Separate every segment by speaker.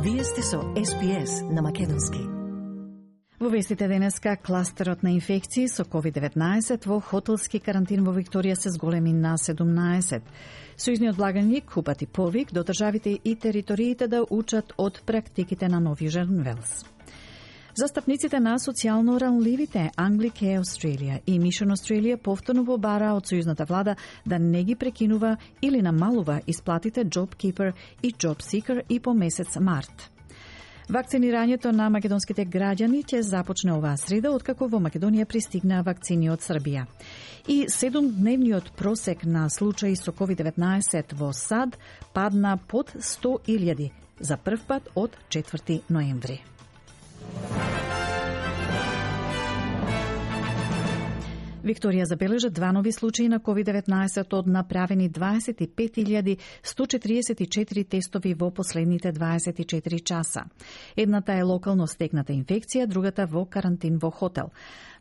Speaker 1: Вие сте со SPS на Македонски.
Speaker 2: Во вестите денеска, кластерот на инфекции со COVID-19 во хотелски карантин во Викторија се зголеми на 17. Сојузниот благаник упати повик до државите и териториите да учат од практиките на Нов Јужен Велс. Застапниците на социјално ранливите Anglicare Australia и Mission Australia повторно побара од сојузната влада да не ги прекинува или намалува исплатите JobKeeper и JobSeeker и по месец март. Вакцинирањето на македонските граѓани ќе започне оваа среда, откако во Македонија пристигнаа вакцини од Србија. И 7-дневниот просек на случаи со COVID-19 во САД падна под 100.000 за прв пат од 4 ноември. Викторија забележа 2 нови случаи на COVID-19 од направени 25.144 тестови во последните 24 часа. Едната е локално стекната инфекција, другата во карантин во хотел.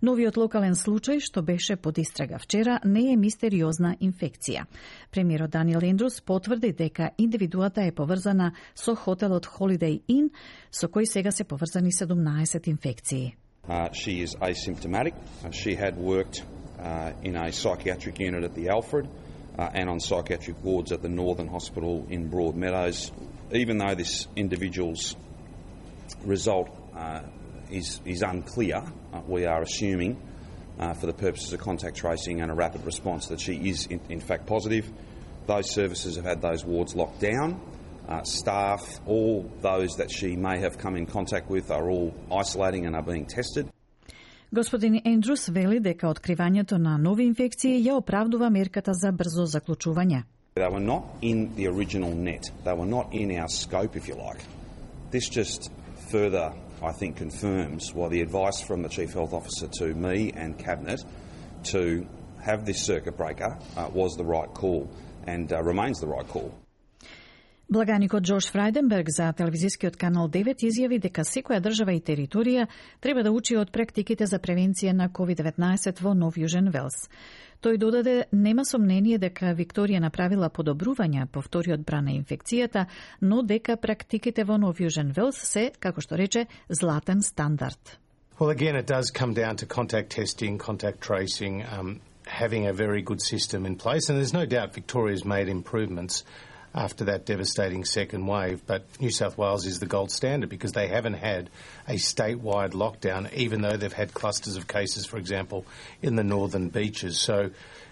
Speaker 2: Новиот локален случај, што беше под истрага вчера, не е мистериозна инфекција. Премиерот Даниел Ендрус потврди дека индивидуата е поврзана со хотелот Holiday Inn, со кој сега се поврзани 17 инфекции.
Speaker 3: She is asymptomatic. She had worked in a psychiatric unit at the Alfred and on psychiatric wards at the Northern Hospital in Broadmeadows. Even though this individual's result is unclear, we are assuming for the purposes of contact tracing and a rapid response that she is in fact positive. Those services have had those wards locked down. Staff, all those that she may have come in contact with are all isolating and are being tested.
Speaker 2: Господин Ендрус вели дека откривањето на нови инфекции ја оправдува мерката за брзо заклучување.
Speaker 3: They were not in the original net. They were not in our scope, if you like. This just further, I think, confirms why the advice from the Chief Health Officer to me and Cabinet to have this circuit breaker was the right call and remains the right call.
Speaker 2: Благаникот Джош Фрајденберг за телевизискиот канал 9 изјави дека секоја држава и територија треба да учи од практиките за превенција на COVID-19 во Нов Јужен Велс. Тој додаде нема сомнение дека Викторија направила подобрувања по вториот бран на инфекцијата, но дека практиките во Нов Јужен Велс се, како што рече, златен стандард.
Speaker 4: Well, again, it does come down to contact testing, contact tracing, having a very good system in place, and there's no doubt Victoria's made improvements after that devastating second wave, but New South Wales is the gold standard because they haven't had a statewide lockdown, even though they've had clusters of cases, for example, in the northern beaches. So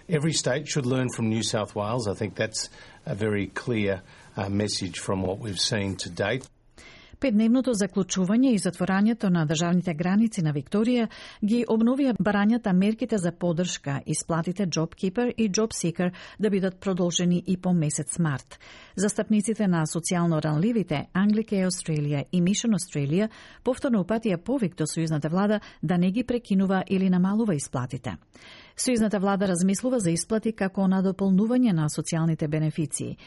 Speaker 4: every state should learn from New South Wales. I think that's a very clear message from what we've seen to date.
Speaker 2: Петдневното заклучување и затворањето на државните граници на Викторија ги обновија барањата мерките за поддршка, исплатите JobKeeper и JobSeeker да бидат продолжени и по месец март. Застапниците на социјално ранливите Anglicare Australia и Mission Australia повторно упатија повик до сојузната влада да не ги прекинува или намалува исплатите. Сојузната влада размислува за исплати како надополнување на социјалните бенефиции.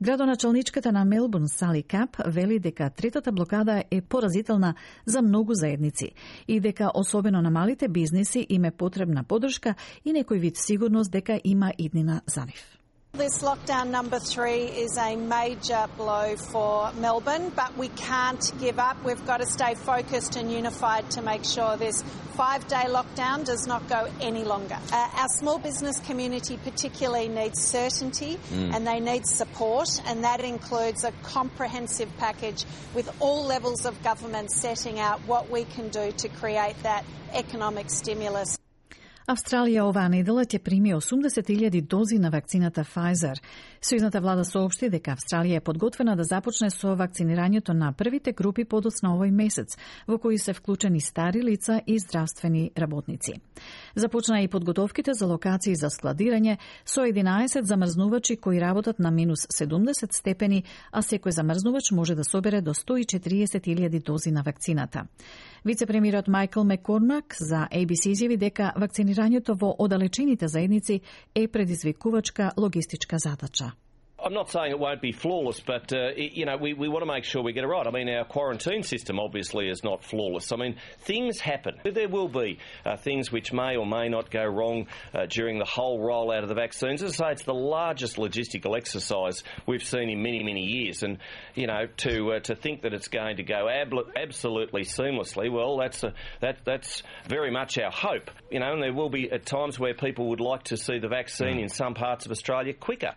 Speaker 2: Градоначалничката на Мелбурн Сали Кап вели дека третата блокада е поразителна за многу заедници и дека особено на малите бизниси им е потребна поддршка и некој вид сигурност дека има иднина за нив.
Speaker 5: This lockdown number 3 is a major blow for Melbourne, but we can't give up. We've got to stay focused and unified to make sure this 5-day lockdown does not go any longer. Our small business community particularly needs certainty and they need support, and that includes a comprehensive package with all levels of government setting out what we can do to create that economic stimulus.
Speaker 2: Австралија оваа недела ќе прими 80.000 дози на вакцината Pfizer. Сојузната влада соопшти дека Австралија е подготвена да започне со вакцинирањето на првите групи подоцна овој месец, во кои се вклучени стари лица и здравствени работници. Започна и подготовките за локации за складирање со 11 замрзнувачи кои работат на минус 70 степени, а секој замрзнувач може да собере до 140.000 дози на вакцината. Вице-премиерот Майкл Маккормак за ABC изјави дека вакцинирањето во оддалечените заедници е предизвикувачка логистичка задача.
Speaker 6: I'm not saying it won't be flawless, but, we want to make sure we get it right. I mean, our quarantine system obviously is not flawless. I mean, things happen. There will be things which may or may not go wrong during the whole rollout of the vaccines. As I say, it's the largest logistical exercise we've seen in many, many years. And, to think that it's going to go absolutely seamlessly, well, that's very much our hope. And there will be at times where people would like to see the vaccine in some parts of Australia quicker.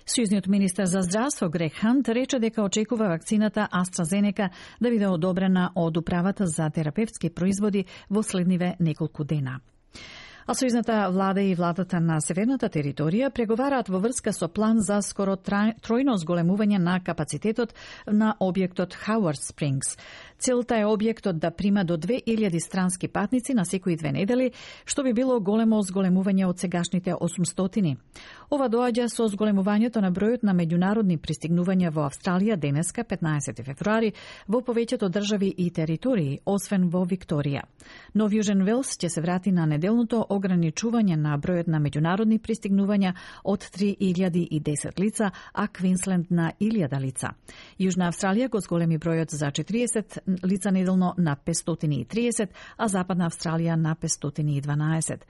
Speaker 2: Сојузниот министер за здравство Грег Хант рече дека очекува вакцината AstraZeneca да биде одобрена од Управата за терапевтски производи во следниве неколку дена. А сојузната влада и владата на Северната територија преговараат во врска со план за скоро тројно зголемување на капацитетот на објектот Howard Springs. Целта е објектот да прима до 2000 странски патници на секои 2 недели, што би било големо зголемување од сегашните 800. Ова доаѓа со зголемувањето на бројот на меѓународни пристигнувања во Австралија денеска, 15 февруари, во повеќето држави и територии, освен во Викторија. Нов Јужен Велс ќе се врати на неделното ограничување на бројот на меѓународни пристигнувања од 3010 лица, а Квинсленд на 1000 лица. Јужна Австралија го зголеми бројот за 40 лица неделно на 530, а Западна Австралија на 512.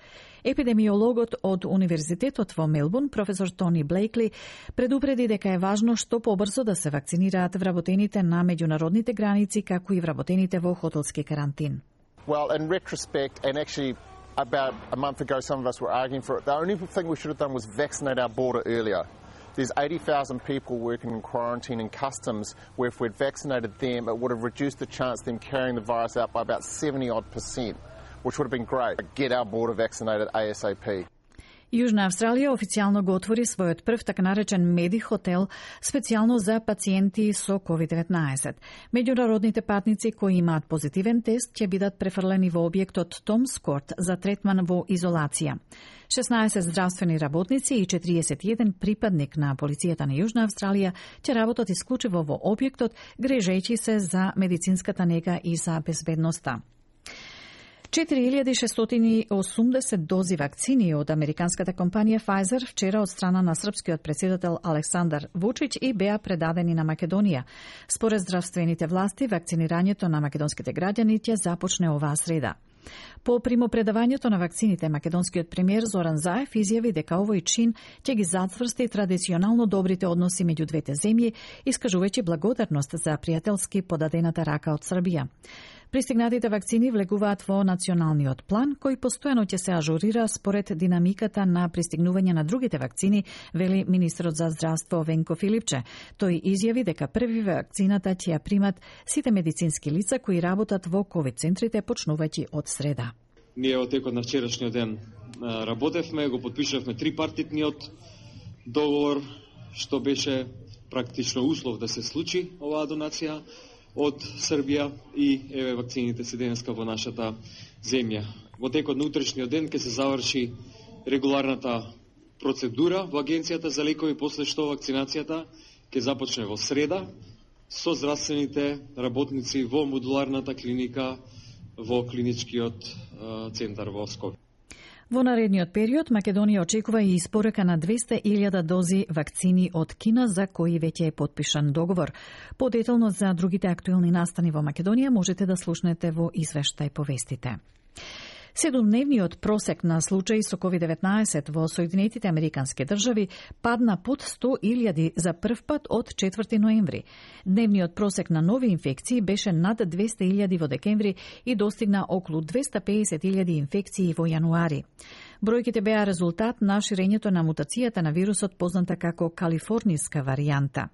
Speaker 2: Епидемиологот од Универзитетот во Мелбурн, професор Тони Блейкли, предупреди дека е важно што побрзо да се вакцинираат вработените на меѓународните граници, како и вработените во хотелски карантин.
Speaker 7: Well, in retrospect, and actually about a month ago some of us were arguing for it, the only thing we should have done was vaccinate our border earlier. There's 80,000 people working in quarantine and customs where if we'd vaccinated them, it would have reduced the chance of them carrying the virus out by about 70%, which would have been great. Get our border vaccinated ASAP.
Speaker 2: Јужна Австралија официјално го отвори својот прв така наречен меди хотел специјално за пациенти со COVID-19. Меѓународните патници кои имаат позитивен тест ќе бидат префрлени во објектот Томс Корт за третман во изолација. 16 здравствени работници и 41 припадник на полицијата на Јужна Австралија ќе работат исклучиво во објектот, грижејќи се за медицинската нега и за безбедноста. 4680 дози вакцини од американската компанија Pfizer вчера од страна на српскиот председател Александар Вучиќ и беа предадени на Македонија. Според здравствените власти, вакцинирањето на македонските граѓани ќе започне оваа среда. По примопредавањето на вакцините, македонскиот премиер Зоран Заев изјави дека овој чин ќе ги зацврсти традиционално добрите односи меѓу двете земји, искажувајќи благодарност за пријателски подадената рака од Србија. Пристигнатите вакцини влегуваат во националниот план, кој постојано ќе се ажурира според динамиката на пристигнување на другите вакцини, вели министрот за здравство Венко Филипче. Тој изјави дека први вакцината ќе ја примат сите медицински лица кои работат во ковид центрите почнувајќи од среда.
Speaker 8: Ние во текот на вчерашниот ден работевме, го подпишавме трипартитниот договор, што беше практично услов да се случи оваа донација од Србија и еве вакцините се денеска во нашата земја. Во текот на утрешниот ден ќе се заврши регуларната процедура во Агенцијата за лекови, после што вакцинацијата ќе започне во среда со здравствените работници во модуларната клиника во клиничкиот центар во Скопје.
Speaker 2: Во наредниот период, Македонија очекува и испорака на 200.000 дози вакцини од Кина, за кои веќе е подпишан договор. Подетално за другите актуелни настани во Македонија можете да слушнете во извештај по вестите. 7-дневниот просек на случаи со COVID-19 во Соединетите Американски држави падна под 100.000 за прв пат од 4 ноември. Дневниот просек на нови инфекции беше над 200.000 во декември и достигна околу 250.000 инфекции во јануари. Бројките беа резултат на ширењето на мутацијата на вирусот позната како калифорнијска варијанта.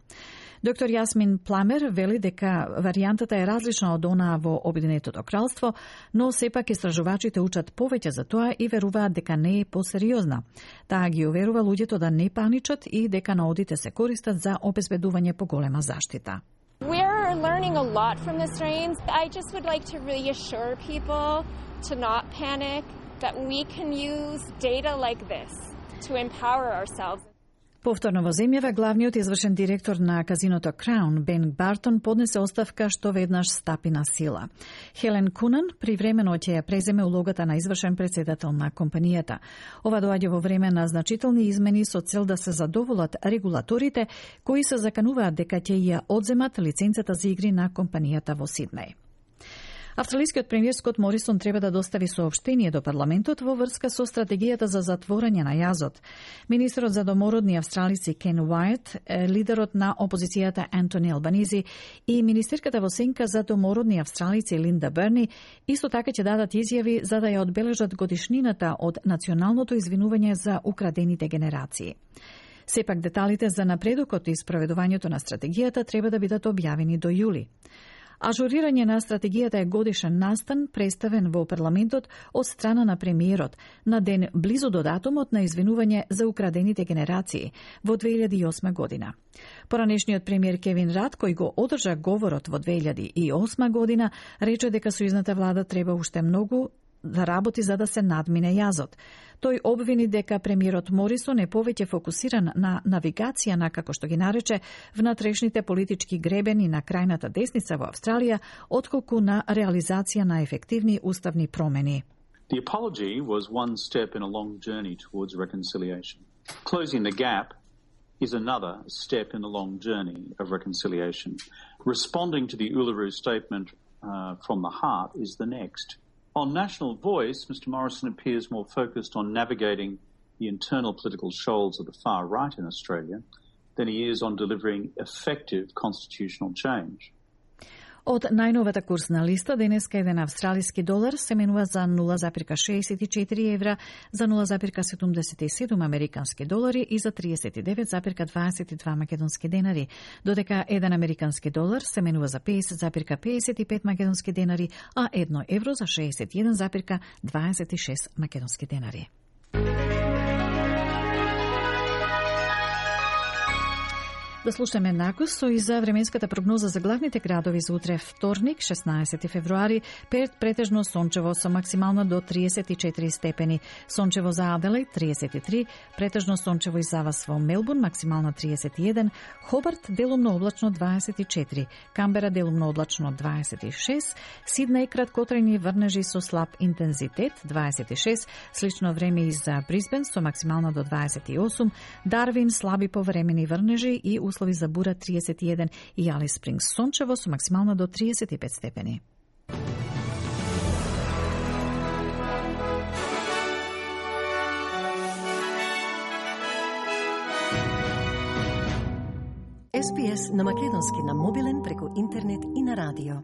Speaker 2: Доктор Јасмин Пламер вели дека варијантата е различна од онаа во Обединетото кралство, но сепак истражувачите учат повеќе за тоа и веруваат дека не е посериозна. Таа ги уверува луѓето да не паничат и дека наодите се користат за обезбедување поголема заштита.
Speaker 9: We're learning a lot from the strains. I just would like to reassure people to not panic, that we can use data like this to empower ourselves.
Speaker 2: Повторно во земјава, главниот извршен директор на казиното Краун, Бен Бартон, поднесе оставка што веднаш стапи на сила. Хелен Кунан привремено ќе ја преземе улогата на извршен председател на компанијата. Ова доаѓа во време на значителни измени со цел да се задоволат регулаторите кои се закануваат дека ќе ја одземат лиценцата за игри на компанијата во Сиднеј. Австралискиот премиер Скот Морисон треба да достави соопштение до парламентот во врска со стратегијата за затворање на јазот. Министерот за домородни австралици Кен Уајт, лидерот на опозицијата Антони Албанизи и министерката во сенка за домородни австралици Линда Берни исто така ќе дадат изјави за да ја одбележат годишнината од националното извинување за украдените генерации. Сепак деталите за напредокот и спроведувањето на стратегијата треба да бидат објавени до јули. Ажурирање на стратегијата е годишен настан представен во парламентот од страна на премиерот на ден близу до датумот на извинување за украдените генерации во 2008 година. Поранешниот премиер Кевин Рад, кој го одржа говорот во 2008 година, рече дека сојузната влада треба уште многу да работи за да се надмине јазот. Тој обвини дека премиерот Морисон е повеќе фокусиран на навигација на, како што ги нарече, внатрешните политички гребени на крајната десница во Австралија, отколку на реализација на ефективни уставни промени.
Speaker 10: The apology was one step in a long journey towards reconciliation. Closing the gap is another step in a long journey of reconciliation. Responding to the Uluru Statement from the heart is the next. On National Voice, Mr Morrison appears more focused on navigating the internal political shoals of the far right in Australia than he is on delivering effective constitutional change.
Speaker 2: Од најновата курсна листа, денеска еден австралиски долар се менува за 0,64 евра, за 0,77 американски долари и за 39,22 македонски денари, додека еден американски долар се менува за 50,55 македонски денари, а 1 евро за 61,26 македонски денари. Да слушаме накусо и за временската прогноза за главните градови за утре вторник, 16 февруари, претежно сончево со максимално до 34 степени. Сончево за Аделаид 33, претежно сончево и завас во Мелбурн максимално 31, Хобарт делумно облачно 24, Камбера делумно облачно 26, Сиднеј краткотрајни врнежи со слаб интензитет 26, слично време и за Брисбен со максимално до 28, Дарвин слаби повремени врнежи и услови за бура 31 и Алис Спрингс сончево со максимално до 35 степени.
Speaker 1: SPS на македонски на мобилен преку интернет и на радио.